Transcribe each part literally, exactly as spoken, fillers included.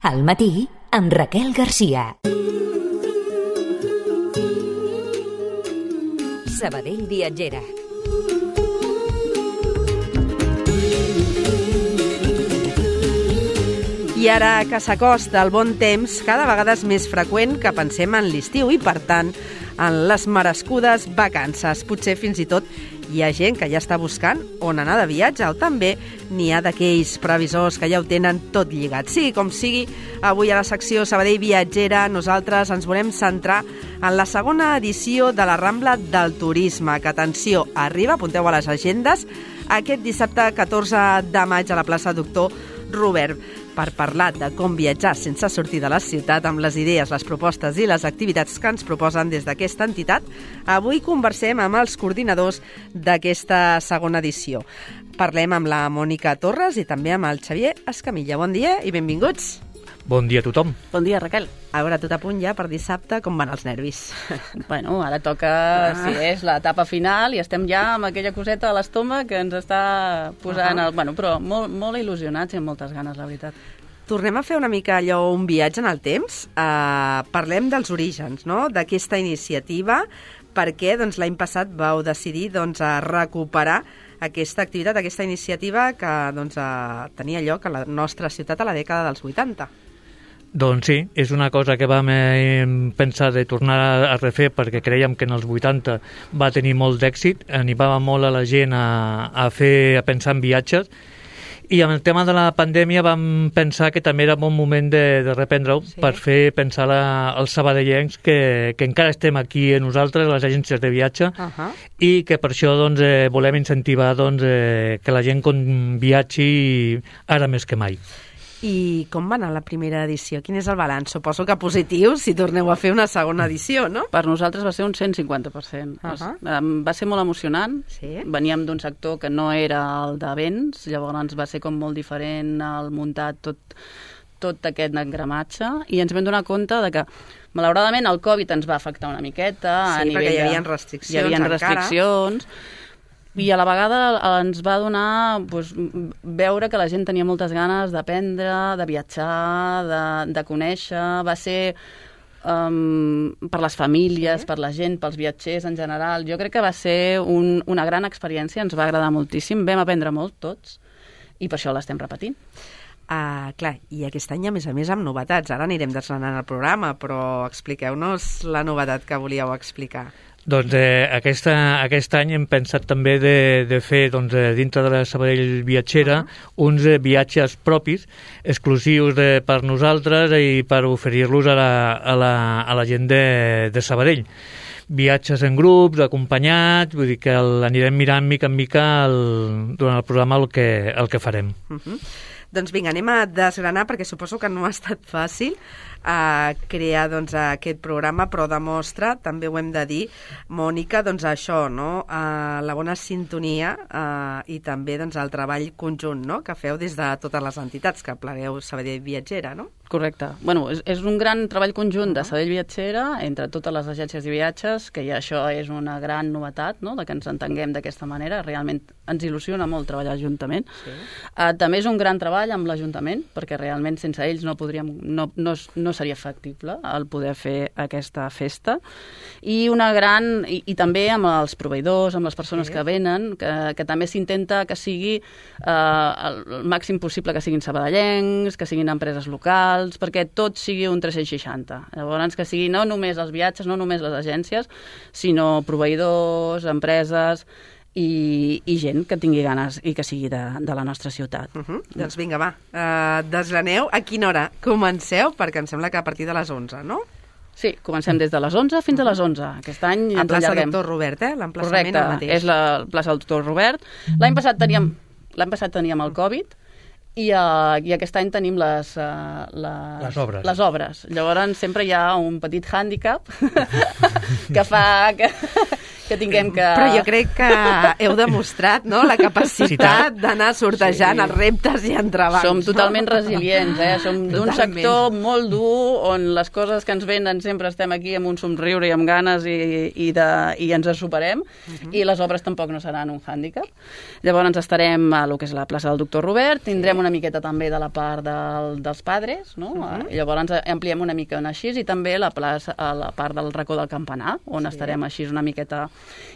Al matí, amb Raquel Garcia. Sabadell Viatgera. I ara que s'acosta el bon temps, cada vegada és més freqüent que pensem en l'estiu i, per tant, en les merescudes vacances. Potser fins i tot hi ha gent que ja està buscant on anar de viatge, o també n'hi ha d'aquells previsors que ja ho tenen tot lligat. Sí, com sigui, avui a la secció Sabadell Viatgera nosaltres ens volem centrar en la segona edició de la Rambla del Turisme, que, atenció, arriba, apunteu a les agendes, aquest dissabte catorze de maig a la plaça Doctor Robert, per parlar de com viatjar sense sortir de la ciutat, amb les idees, les propostes i les activitats que ens proposen des d'aquesta entitat. Avui conversem amb els coordinadors d'aquesta segona edició. Parlem amb la Mònica Torres i també amb el Xavier Escamilla. Bon dia i benvinguts. Bon dia a tothom. Bon dia, Raquel. A veure, tot a punt ja per dissabte, com van els nervis? Bueno, ara toca, ah. si és l'etapa final, i estem ja amb aquella coseta a l'estómac que ens està posant... Uh-huh. el... Bueno, però molt, molt il·lusionats i amb moltes ganes, la veritat. Tornem a fer una mica allò, un viatge en el temps. Uh, parlem dels orígens, no?, d'aquesta iniciativa, perquè doncs, l'any passat vau decidir doncs, a recuperar aquesta activitat, aquesta iniciativa que doncs, uh, tenia lloc a la nostra ciutat a la dècada dels vuitanta. Doncs sí, és una cosa que vam eh, pensar de tornar a refer perquè creiem que en els vuitanta va tenir molt d'èxit, animava molt a la gent a, a, fer, a pensar en viatges, i amb el tema de la pandèmia vam pensar que també era bon moment de, de reprendre-ho, sí, per fer pensar la, als sabadellencs que, que encara estem aquí a nosaltres, les agències de viatge, uh-huh. i que per això doncs, eh, volem incentivar doncs, eh, que la gent viatgi ara més que mai. I com va anar la primera edició? Quin és el balanç? Suposo que positiu si torneu a fer una segona edició, no? Per nosaltres va ser un cent cinquanta per cent. Uh-huh. Va ser molt emocionant. Sí. Veníem d'un sector que no era el d'events, llavors va ser com molt diferent el muntat tot, tot aquest engramatge, i ens vam donar compte de que malauradament el Covid ens va afectar una miqueta. Sí, a nivell perquè hi havia de... restriccions hi havia encara. restriccions. I a la vegada ens va donar doncs, veure que la gent tenia moltes ganes d'aprendre, de viatjar, de, de conèixer. Va ser um, per les famílies, sí, per la gent, pels viatgers en general. Jo crec que va ser un, una gran experiència, ens va agradar moltíssim, vam aprendre molt tots, i per això l'estem repetint. Uh, clar, i aquest any, a més a més, amb novetats. Ara anirem desgranant el programa, però expliqueu-nos la novetat que volíeu explicar. Doncs eh, aquesta, aquest any hem pensat també de, de fer doncs, eh, dintre de la Sabadell Viatgera uh-huh. uns eh, viatges propis, exclusius de, per nosaltres i per oferir-los a la, a la, a la gent de, de Sabadell. Viatges en grups, acompanyats, vull dir que el, anirem mirant mica en mica el, durant el programa el que, el que farem. Uh-huh. Doncs vinga, anem a desgranar, perquè suposo que no ha estat fàcil a crear doncs, aquest programa, però demostra, també ho hem de dir, Mònica, doncs això, no? Uh, la bona sintonia uh, i també doncs, el treball conjunt, no?, que feu des de totes les entitats que plegueu Sabadell Viatgera, no? Correcte. Bueno, és, és un gran treball conjunt de Sabadell Viatgera entre totes les agències de viatges, que ja això és una gran novetat, no?, de que ens entenguem d'aquesta manera. Realment ens il·lusiona molt treballar juntament. Sí. Uh, també és un gran treball amb l'Ajuntament, perquè realment sense ells no podríem, no, no, no seria factible el poder fer aquesta festa. I una gran, i, i també amb els proveïdors, amb les persones sí. que venen, que, que també s'intenta que sigui uh, el, el màxim possible que siguin sabadellencs, que siguin empreses locals, perquè tot sigui un tres-cents seixanta. Llavors, que sigui no només els viatges, no només les agències, sinó proveïdors, empreses i, i gent que tingui ganes i que sigui de, de la nostra ciutat. Uh-huh. Doncs vinga, va, uh, desgraneu. A quina hora comenceu? Perquè em sembla que a partir de les onze, no? Sí, comencem des de les onze fins a les onze. Aquest any ens plaça allarguem. Doctor Robert, eh? L'emplaçament Correcte, el mateix. és la plaça Doctor Robert. L'any passat teníem, l'any passat teníem el Covid, I, uh, i aquest any tenim les, uh, les, les, obres. les obres. Llavors sempre hi ha un petit hàndicap que fa que, que tinguem que... Però jo crec que heu demostrat, no?, la capacitat d'anar sortejant sí. els reptes i entrebancs. Som totalment no? resilients, eh? Som d'un sector molt dur on les coses que ens venen sempre estem aquí amb un somriure i amb ganes i, i, de, i ens en superem, uh-huh. i les obres tampoc no seran un hàndicap. Llavors estarem a lo que és la plaça del Doctor Robert, tindrem sí. una miqueta també de la part del, dels padres, no? Uh-huh. I llavors ampliem una mica així, i també la plaça, a la part del racó del campanar, on sí. estarem així una miqueta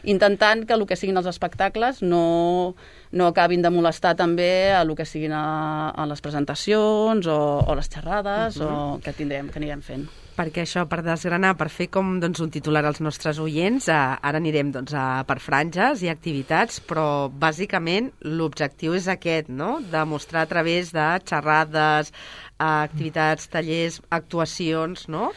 intentant que el que siguin els espectacles no, no acabin de molestar també a el que siguin a, a les presentacions o, o les xerrades uh-huh. o que tindrem, que anirem fent. Perquè això, per desgranar, per fer com doncs, un titular als nostres oients, eh, ara anirem doncs, a, per franges i activitats, però bàsicament l'objectiu és aquest, no?, de mostrar a través de xerrades, activitats, tallers, actuacions, no?,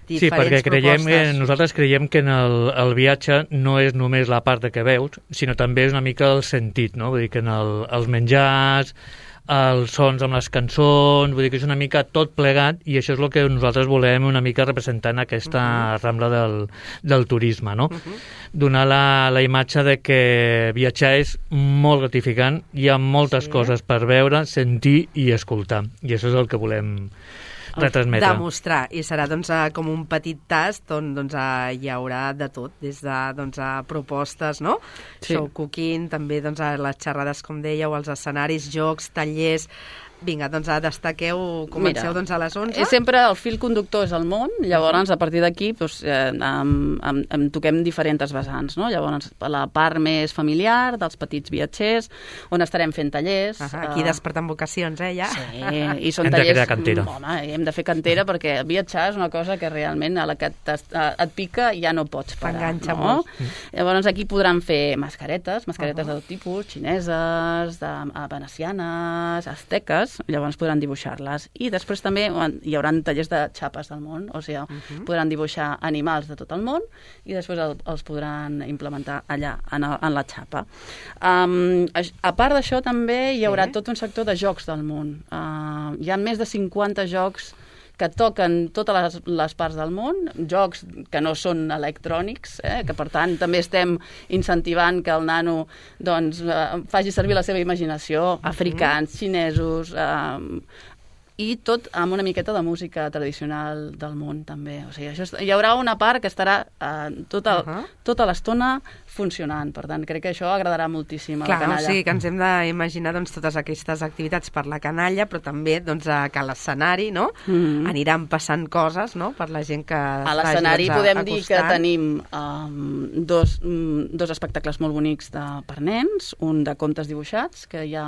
diferents sí, perquè creiem, eh, nosaltres creiem que en el, el viatge no és només la part de que veus, sinó també és una mica el sentit, no? Vull dir que en el, els menjars, els sons amb les cançons, vull dir que és una mica tot plegat, i això és el que nosaltres volem una mica representar en aquesta uh-huh. rambla del, del turisme, no? Uh-huh. Donar la, la imatge de que viatjar és molt gratificant, hi ha moltes sí. coses per veure, sentir i escoltar, i això és el que volem retransmetre. Demostrar, i serà doncs, com un petit tast on doncs, hi haurà de tot, des de doncs, propostes, no? Sí. Show cooking, també doncs, les xerrades, com dèieu, els escenaris, jocs, tallers... Vinga, doncs destaqueu, comenceu Mira, doncs, a les onze. Sempre el fil conductor és el món, llavors a partir d'aquí doncs, eh, em, em, em toquem diferents vessants, no? Llavors la part més familiar dels petits viatgers, on estarem fent tallers. Uh-huh, aquí uh, despertant vocacions, eh, ja? Sí, i són hem tallers... Hem de crear cantera. Home, hem de fer cantera perquè viatjar és una cosa que realment a la que et, et pica ja no pots parar. T'enganxa no? molt. Mm. Llavors aquí podran fer mascaretes, mascaretes uh-huh. de tot tipus, xineses, de, venecianes, azteques, llavors podran dibuixar-les. I després també hi haurà tallers de xapes del món, o sigui, uh-huh. podran dibuixar animals de tot el món i després el, els podran implementar allà, en, el, en la xapa. Um, a part d'això també hi haurà sí. tot un sector de jocs del món. Uh, hi ha més de cinquanta jocs que toquen totes les, les parts del món, jocs que no són electrònics, eh, que per tant també estem incentivant que el nano doncs, eh, faci servir la seva imaginació, africans, xinesos, eh, i tot amb una miqueta de música tradicional del món també. O sigui, això, hi haurà una part que estarà eh, tota, uh-huh. tota l'estona funcionant, per tant, crec que això agradarà moltíssim a Clar, la canalla. O sigui que ens hem d'imaginar doncs, totes aquestes activitats per la canalla, però també doncs, que a l'escenari no? mm-hmm. aniran passant coses no? per la gent que a l'escenari doncs, podem acostant. Dir que tenim um, dos, um, dos espectacles molt bonics de, per nens, un de contes dibuixats, que hi ha,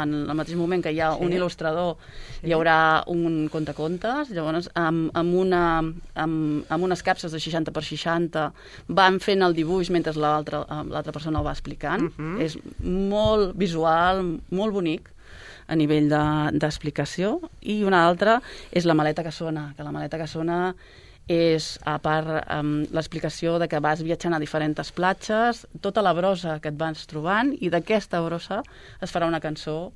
en el mateix moment que hi ha sí. un il·lustrador, sí. hi haurà un contacontes, llavors amb, amb, una, amb, amb unes capses de seixanta per seixanta van fent el dibuix mentre l'altre l'altra persona ho va explicant. Uh-huh. És molt visual, molt bonic a nivell d'explicació. De, I una altra és la maleta que sona, que la maleta que sona és, a part, um, l'explicació de que vas viatjant a diferents platges, tota la brossa que et vas trobant, i d'aquesta brossa es farà una cançó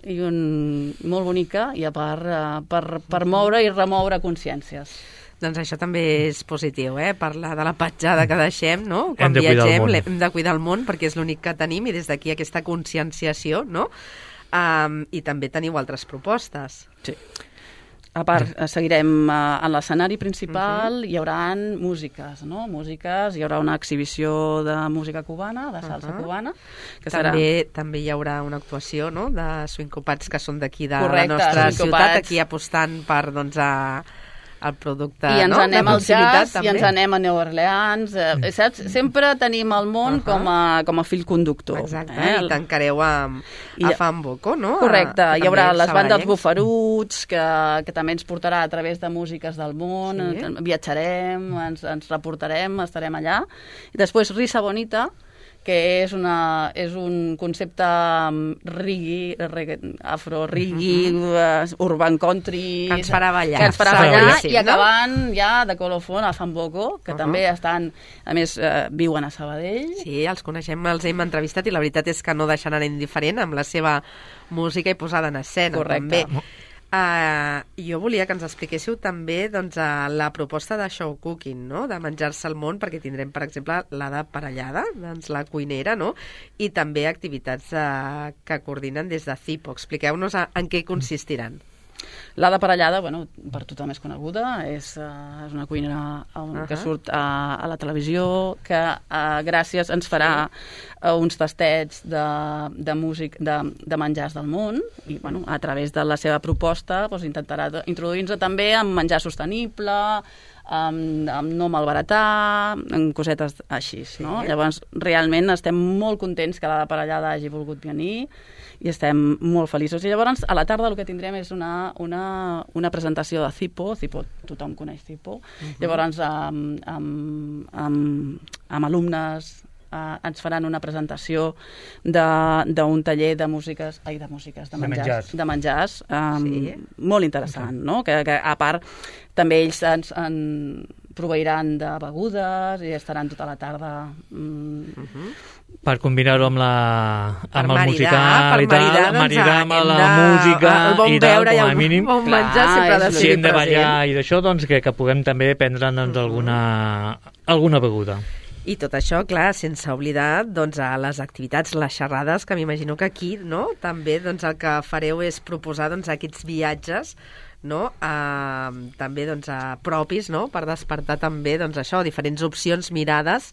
i un, molt bonica, i a part uh, per, per moure i remoure consciències. Doncs això també és positiu, eh? Parlar de la petjada que deixem, no? Quan hem de viatgem, hem de cuidar el món perquè és l'únic que tenim, i des d'aquí aquesta conscienciació, no? Um, I també teniu altres propostes. Sí. A part, seguirem uh, en l'escenari principal, uh-huh. hi haurà músiques, no? Músiques, hi haurà una exhibició de música cubana, de salsa uh-huh. cubana. Que també, serà... també hi haurà una actuació, no?, de swincopats que són d'aquí, de Correcte, la nostra swincopats. Ciutat, aquí apostant per, doncs, a... el producte, I ens no? anem al jazz, també. i ens anem a New Orleans, eh, saps? Sempre tenim el món uh-huh. com, a, com a fil conductor. Exacte, eh? I tancareu amb, I, a Famboco, no? Correcte, a, hi haurà les bandes Bufaruts, que, que també ens portarà a través de músiques del món, sí. viatjarem, ens, ens reportarem, estarem allà. I després Risa Bonita, que és, una, és un concepte reggae, reggae afro-reggae, uh-huh. urban country... Que ens farà ballar. Que ens farà ballar, i acabant no? ja de colofon a Famboco, que uh-huh. també estan, a més, eh, viuen a Sabadell. Sí, els coneixem, els hem entrevistat, i la veritat és que no deixen anar indiferent amb la seva música i posada en escena. Correcte. També. Uh, jo volia que ens expliquéssiu també doncs, uh, la proposta de show cooking, no? De menjar-se el món, perquè tindrem, per exemple, la de parellada, doncs la cuinera, no? I també activitats uh, que coordinen des de Cipo. Expliqueu-nos a, en què consistiran. La de parellada, bueno, per tothom és coneguda, és, uh, és una cuinera um, uh -huh. que surt uh, a la televisió, que uh, gràcies ens farà uh, uns tastets de, de, músic, de, de menjars del món, i bueno, a través de la seva proposta doncs, intentarà introduir-nos també en menjar sostenible, amb, amb no malbaratar, en cosetes així, sí. No? Llavors, realment estem molt contents que la de parellada hagi volgut venir, i estem molt feliços. I llavors, a la tarda el que tindrem és una, una, una presentació de Cipo. Cipo, tothom coneix Cipo. Uh-huh. Llavors, amb, amb, amb, amb alumnes eh, ens faran una presentació d'un taller de músiques, ai, de músiques, de menjars, de menjars um, sí. molt interessant, no? Que, que a part també ells ens, en proveiran de begudes i estaran tota la tarda... Mm, uh-huh. Per combinar-ho amb, la, amb el maridar, musical i tal, maridar, doncs, maridar amb la de, música bon i tal, com a el, mínim. Bon menjar sempre ha de Si ser hem de ballar present. i d'això, doncs que, que puguem també prendre doncs, alguna, alguna beguda. I tot això, clar, sense oblidar doncs, a les activitats, les xerrades, que m'imagino que aquí no? També doncs, el que fareu és proposar doncs, aquests viatges, no? Uh, també doncs, uh, propis, no? Per despertar també doncs, això, diferents opcions, mirades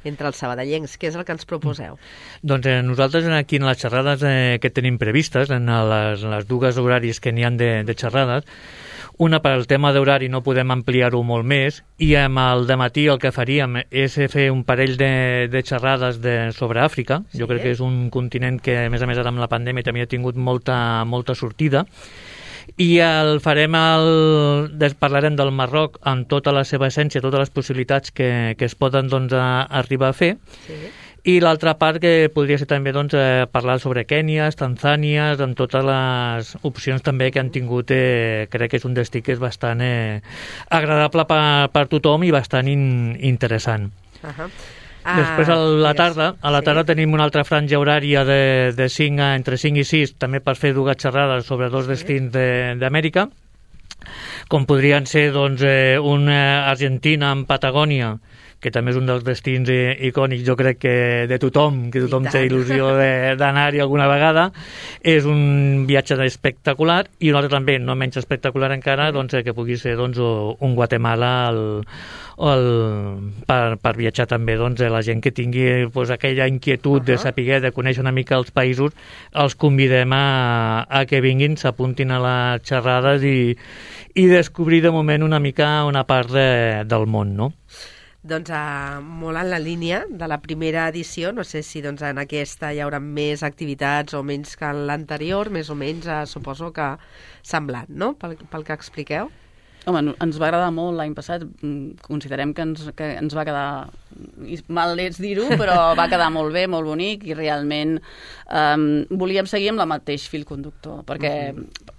entre els sabadellencs. Què és el que ens proposeu? Doncs eh, nosaltres aquí en les xerrades eh, que tenim previstes, en les, les dues horaris que n'hi han de, de xerrades, una per al tema d'horari no podem ampliar-ho molt més, i amb el dematí el que faríem és fer un parell de, de xerrades de, sobre Àfrica. Sí. Jo crec que és un continent que, a més a més, ara amb la pandèmia també ha tingut molta, molta sortida. I el farem el, parlarem del Marroc amb tota la seva essència, totes les possibilitats que, que es poden doncs, a, arribar a fer. Sí. I l'altra part que podria ser també doncs, eh, parlar sobre Kènia, Tanzània, amb totes les opcions també que han tingut, eh, crec que és un destí que és bastant eh, agradable per, per tothom i bastant in, interessant. Uh-huh. Després a la tarda, a la tarda sí. tenim una altra franja horària de, de cinc a, entre cinc i sis, també per fer dues xerrades sobre dos sí. destins d'Amèrica, com podrien ser doncs, eh, una Argentina amb Patagònia, que també és un dels destins icònics, jo crec que de tothom, que tothom té il·lusió d'anar-hi alguna vegada. És un viatge espectacular, i un altre també, no menys espectacular encara, doncs, que pugui ser doncs, un Guatemala el, el, per, per viatjar també doncs, la gent que tingui doncs, aquella inquietud uh-huh. de saber, de conèixer una mica els països, els convidem a, a que vinguin, s'apuntin a les xerrades i, i descobrir de moment una mica una part de, del món, no? Doncs uh, molt en la línia de la primera edició, no sé si doncs, en aquesta hi haurà més activitats o menys que en l'anterior, més o menys uh, suposo que semblant, no?, pel, pel que expliqueu. Home, ens va agradar molt l'any passat, considerem que ens, que ens va quedar, mal és dir-ho, però va quedar molt bé, molt bonic, i realment um, volíem seguir amb el mateix fil conductor, perquè... Uh-huh.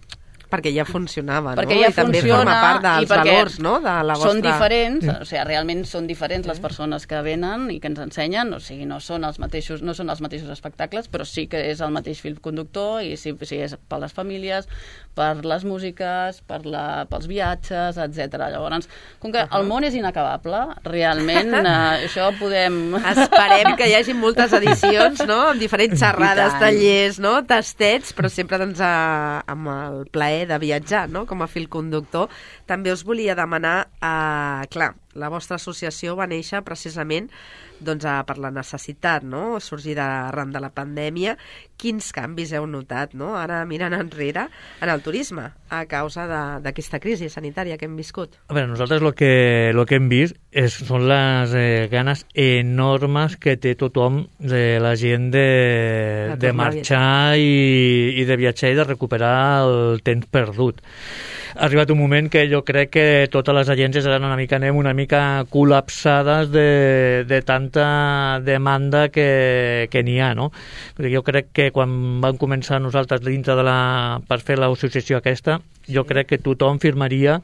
Perquè ja funcionava, perquè no? Ja I també forma part dels valors, no? De la vostra... Són diferents, o sigui, realment són diferents les persones que venen i que ens ensenyen, o sigui, no són els mateixos, no són els mateixos espectacles, però sí que és el mateix fil conductor, i sí, sí és per les famílies, per les músiques, per la, pels viatges, etcètera. Llavors, com que el món és inacabable, realment eh, això podem... Esperem que hi hagi moltes edicions, no?, amb diferents xerrades, tallers, no?, tastets, però sempre doncs, a, amb el plaer de viatjar, no?, com a fil conductor. També us volia demanar, eh, clar, la vostra associació va néixer precisament doncs, a, per la necessitat, no?, sorgir arran de la pandèmia. Quins canvis heu notat, no?, ara mirant enrere, en el turisme, a causa d'aquesta crisi sanitària que hem viscut? A veure, nosaltres el que, lo que hem vist és, són les eh, ganes enormes que té tothom, de la gent de, de marxar i, i de viatjar i de recuperar el temps perdut. Ha arribat un moment que jo crec que totes les agències eren una mica, anem una mica col·lapsades de, de tanta demanda que, que n'hi ha, no? Jo crec que quan vam començar nosaltres dintre de la, per fer l'associació aquesta, jo crec que tothom firmaria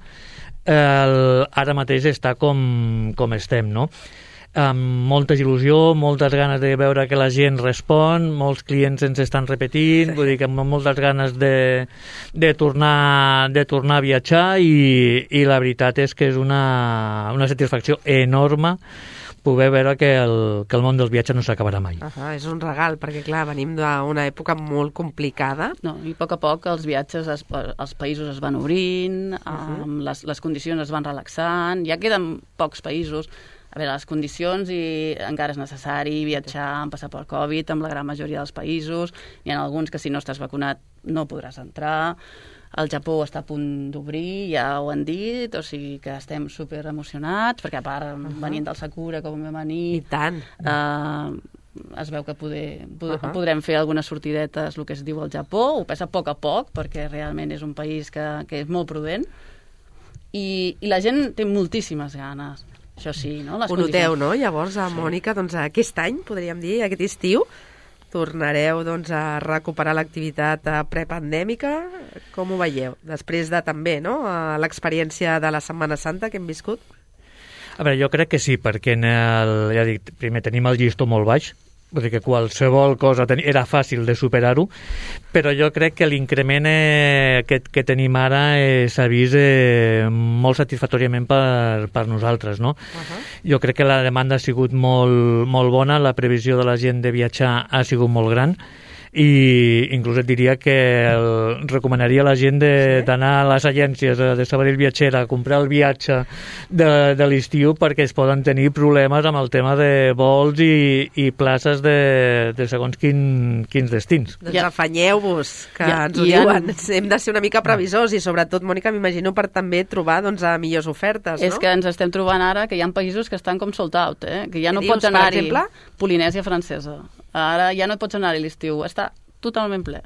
el, ara mateix està com, com estem, no? amb molta il·lusió, moltes ganes de veure que la gent respon, molts clients ens estan repetint, vull dir que amb moltes ganes de, de, tornar, de tornar a viatjar i, i la veritat és que és una, una satisfacció enorme poder veure que el, que el món dels viatges no s'acabarà mai. Uh-huh, és un regal, perquè clar, venim d'una època molt complicada. No, i a poc a poc els viatges, es, els països es van obrint, uh-huh. um, les, les condicions es van relaxant, ja queden pocs països. A veure, les condicions i encara és necessari viatjar amb passaport Covid amb la gran majoria dels països. Hi ha alguns que si no estàs vacunat no podràs entrar. El Japó està a punt d'obrir, ja ho han dit, o sigui que estem super emocionats, perquè a part, uh-huh. venint del Sakura, com vam venir... I tant! Eh, es veu que poder, poder, uh-huh. podrem fer algunes sortidetes, el que es diu al Japó, ho passa a poc a poc, perquè realment és un país que, que és molt prudent, i, i la gent té moltíssimes ganes. Això sí, no? Les ho noteu, condicions... no? Llavors, a Mònica, doncs aquest any, podríem dir, aquest estiu, tornareu doncs, a recuperar l'activitat prepandèmica. Com ho veieu? Després de també no? l'experiència de la Setmana Santa que hem viscut? A veure, jo crec que sí, perquè en el, ja dic, primer tenim el llistó molt baix, vull dir que qualsevol cosa ten... era fàcil de superar-ho, però jo crec que l'increment eh, que, que tenim ara eh, s'ha vist eh, molt satisfactòriament per, per nosaltres, no? Uh-huh. Jo crec que la demanda ha sigut molt, molt bona, la previsió de la gent de viatjar ha sigut molt gran, i inclús et diria que el, recomanaria a la gent d'anar sí? a les agències de Sabadell Viatgera a comprar el viatge de, de l'estiu, perquè es poden tenir problemes amb el tema de vols i, i places de, de segons quin, quins destins. Doncs ja. afanyeu-vos, que ja, ens ho ja diuen. En... Hem de ser una mica previsors i sobretot, Mònica, m'imagino per també trobar doncs, a millors ofertes, no? És que ens estem trobant ara que hi ha països que estan com sold out, eh? Que ja no dius, pots anar-hi. Per exemple? Polinèsia francesa. Ara ja no pots anar-hi l'estiu, està totalment ple.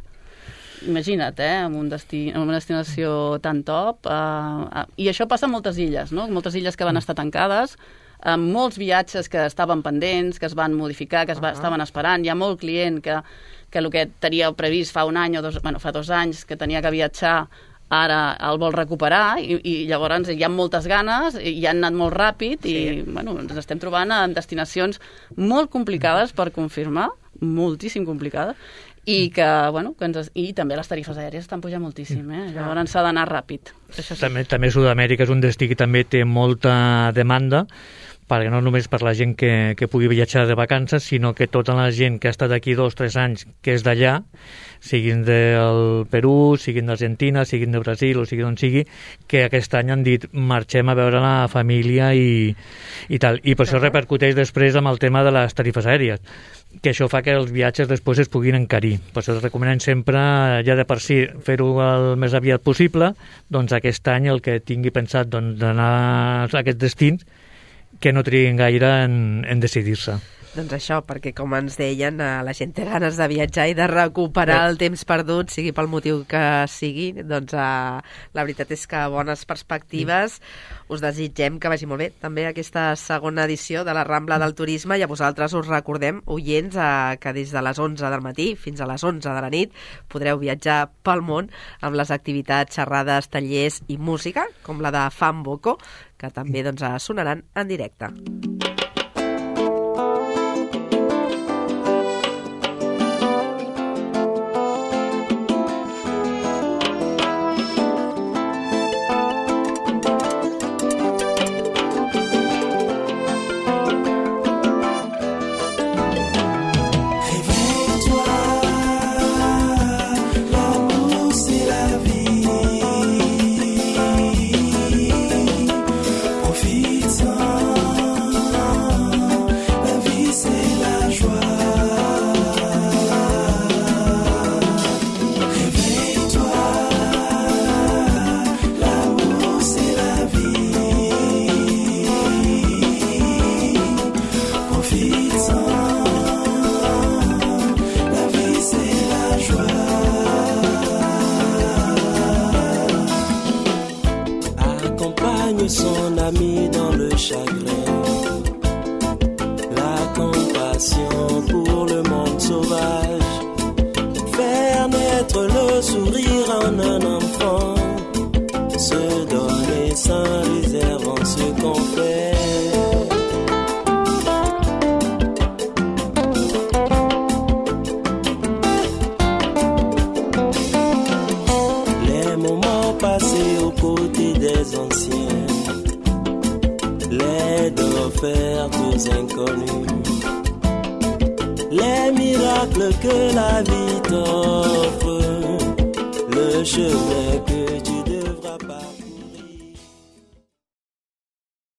Imagina't, eh, amb, un destí, amb una destinació tan top. Uh, uh, I això passa a moltes illes, no? Moltes illes que van estar tancades, amb molts viatges que estaven pendents, que es van modificar, que es va, uh-huh. estaven esperant. Hi ha molt client que, que el que tenia previst fa un any o dos, bueno, fa dos anys, que tenia que viatjar, ara el vol recuperar i, i llavors hi ha moltes ganes i han anat molt ràpid sí. i bueno, ens estem trobant en destinacions molt complicades per confirmar, moltíssim complicades, i que, bueno, que ens, i també les tarifes aèries estan pujant moltíssim, eh? Llavors s'ha d'anar ràpid. Això sí. També, també Sud-amèrica és un destí que també té molta demanda, perquè no només per la gent que, que pugui viatjar de vacances, sinó que tota la gent que ha estat aquí dos o tres anys, que és d'allà, siguin del Perú, siguin d'Argentina, siguin de Brasil o sigui d'on sigui, que aquest any han dit marxem a veure la família i, i tal. I per això repercuteix després amb el tema de les tarifes aèries, que això fa que els viatges després es puguin encarir. Per això es recomenen sempre, ja de per si, fer-ho el més aviat possible, doncs aquest any el que tingui pensat doncs, d'anar a aquests destins, que no triguin gaire en, en decidir-se. Doncs això, perquè com ens deien, la gent té ganes de viatjar i de recuperar el temps perdut, sigui pel motiu que sigui, doncs uh, la veritat és que bones perspectives. Us desitgem que vagi molt bé també aquesta segona edició de la Rambla del Turisme, i a vosaltres us recordem, oients, uh, que des de les onze del matí fins a les onze de la nit podreu viatjar pel món amb les activitats, xerrades, tallers i música, com la de Fan Boko, que també doncs, sonaran en directe. Son ami dans le chagrin, la compassion pour le monde sauvage, faire naître le sourire en un enfant, se donner sans réserve en ce qu'on fait. obstacles que la vie t'offre, le chemin que tu devrais